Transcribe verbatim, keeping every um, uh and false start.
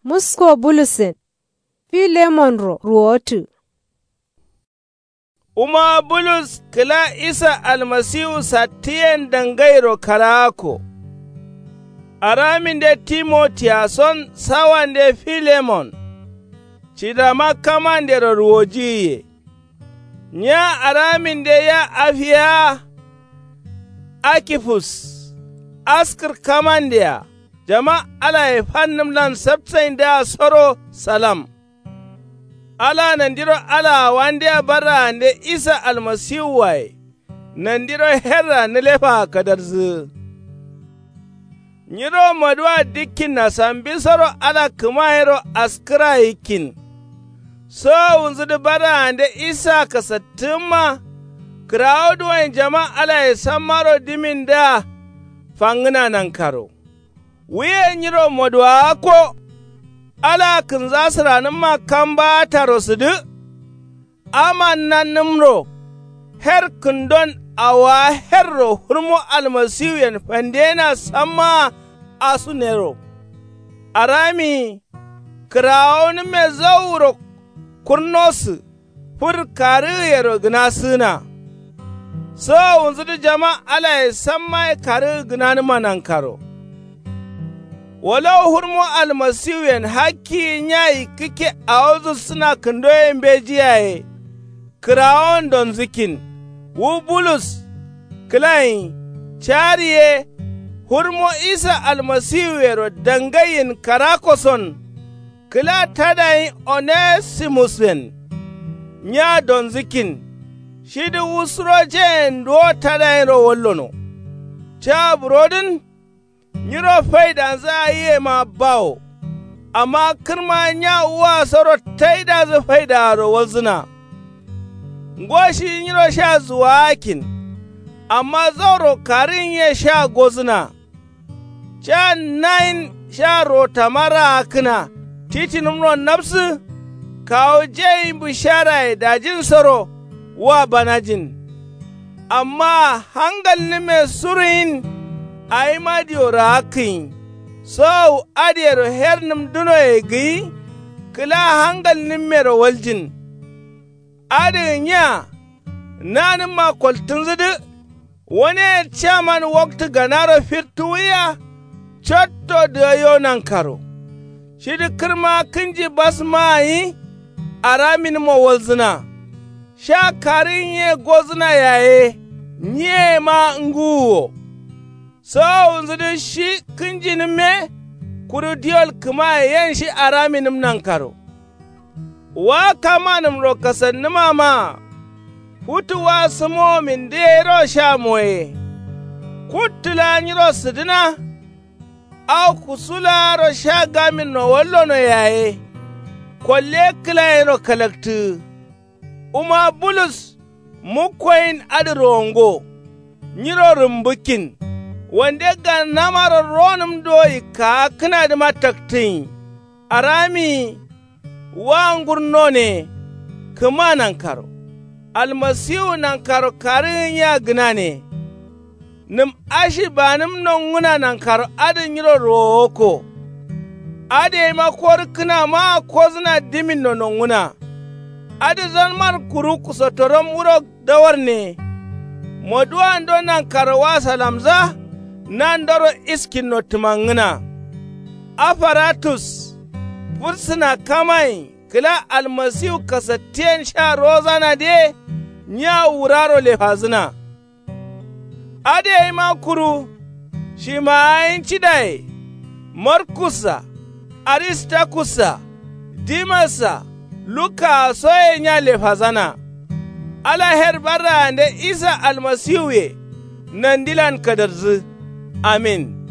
Musko bulusen filemonro ruwotǝ. Wuma bulus kǝla isa almasiwu sattǝyen dangairo karaakko. Araminde timotiyason sawande filemon. Cidama kamandero ruwojiyiye. Nya araminde ya afiya. Akifus askǝr kamandea jama alaye fannǝmlan sapsaindǝa soro salam. Ala nandiro alaa wandea barraande isa almasiwuwaye. Nandiro herra nǝlefaa kadarzǝgǝ. Nyiro maduwa dikkinna sambisoro ala kǝmayero askǝra yikkin. Sowowunzudǝ barraande isa kasattǝgǝmma. Kǝrawo duwoyen jama alaye sammaro dimindǝa fangǝna nankaro. Wuye nyiro moduwawakko. Ala kǝnza sǝranǝmma kambaa taro sǝdǝ. Aman nannǝmro. Her kǝndon awowa herro hurmo almasiwuyen fandeyena sammaa asunero. Arami kǝrawonǝmme zauro. Kurnosǝ fur karǝgǝyero gǝnasǝgǝna. Sowowunzudǝ jama alaye sammaye karǝgǝ gǝnanǝma nankaro. Wolo hurmo almasiwuyen hakkiyi nya yikkǝkke awo zussǝna kǝndoye mbeji yaye. Kǝrawon donzǝkkin wu bulus kǝlanyi cari ye. Hurmo isa almasiwuyero dangaiyin karakko son. Kǝla tadayin onesimusyen nya donzǝkkin. Shidǝ wu surojeyen duwo tadayinro wallono. Ca burodǝn nyiro faidanzǝ aiyema bawo. Amma kǝrma nya wua soro taidazǝ faidaaro walzǝna. Ngo shi nyiro sha zuwaakkin. Amma zauro karǝnye sha gozǝna. Ca nayin sha rotama raakkǝna titinǝmro nabsǝ. Kawu jai bǝsharaye dajinsoro wa banajin. Amma hangalnǝmme suruyin. Awima dio raakkǝnyi sowowu adǝyero hernǝm dunoye gǝyi. Kǝla hangalnǝmmero waljin. Adǝgǝ nya nanǝmma koltǝnzǝdǝ. Waneye caman waktǝ ganaro fittuwuya. Cotto dǝgayo nankaro. Shidǝ kǝrma kǝnji basmaa gǝnyi. Araminǝmmo walzǝna. Sha karǝnye gozǝna yaye. Nyiyema ngǝwuwo. Sowowunzudǝ shi kǝnjinǝmme. Kuru diwol kǝmaye yen shi araminǝm nankaro. Wa kamanǝmro kasannǝmama. Futu wa sǝmowomindǝ yero sha moye. Kuttǝ laa nyiro sǝdǝna. Au kusu laaro sha gaminno wallono yaye. Kolle kǝlayinro kalaktǝgǝ. Wuma bulus mukkoyin adǝ rongo. Nyiro rǝmbǝkkin. Wande gannamaro ronǝm do yikkaakkǝnadǝma taktǝnyi. Aramiyi. Wa ngurnone. Kǝma nankaro. Almasiwu nankaro karǝgǝnya gǝnane. Nǝm ashi banǝm nonguna nankaro adǝ nyiro rowokko. Adǝ yeima korǝkkǝna maa kozǝna diminno nonguna. Adǝ zanman kuru kusottorom wuro dawarne. Moduwando nankaro wa salamza. Nandoro iskinno tǝmangǝna. Afaratus fursǝna kamayin kǝla almasiwu kasattiyen sha rozanadǝye. Nya wuraro lefazǝna. Adǝ yeima kuru shimaayin cidaye. Markussa aristakussa dimassa lukkaa soye nya lefazana. Ala her barraande isa almasiwuye. Nandilan kadarzǝ. Amin.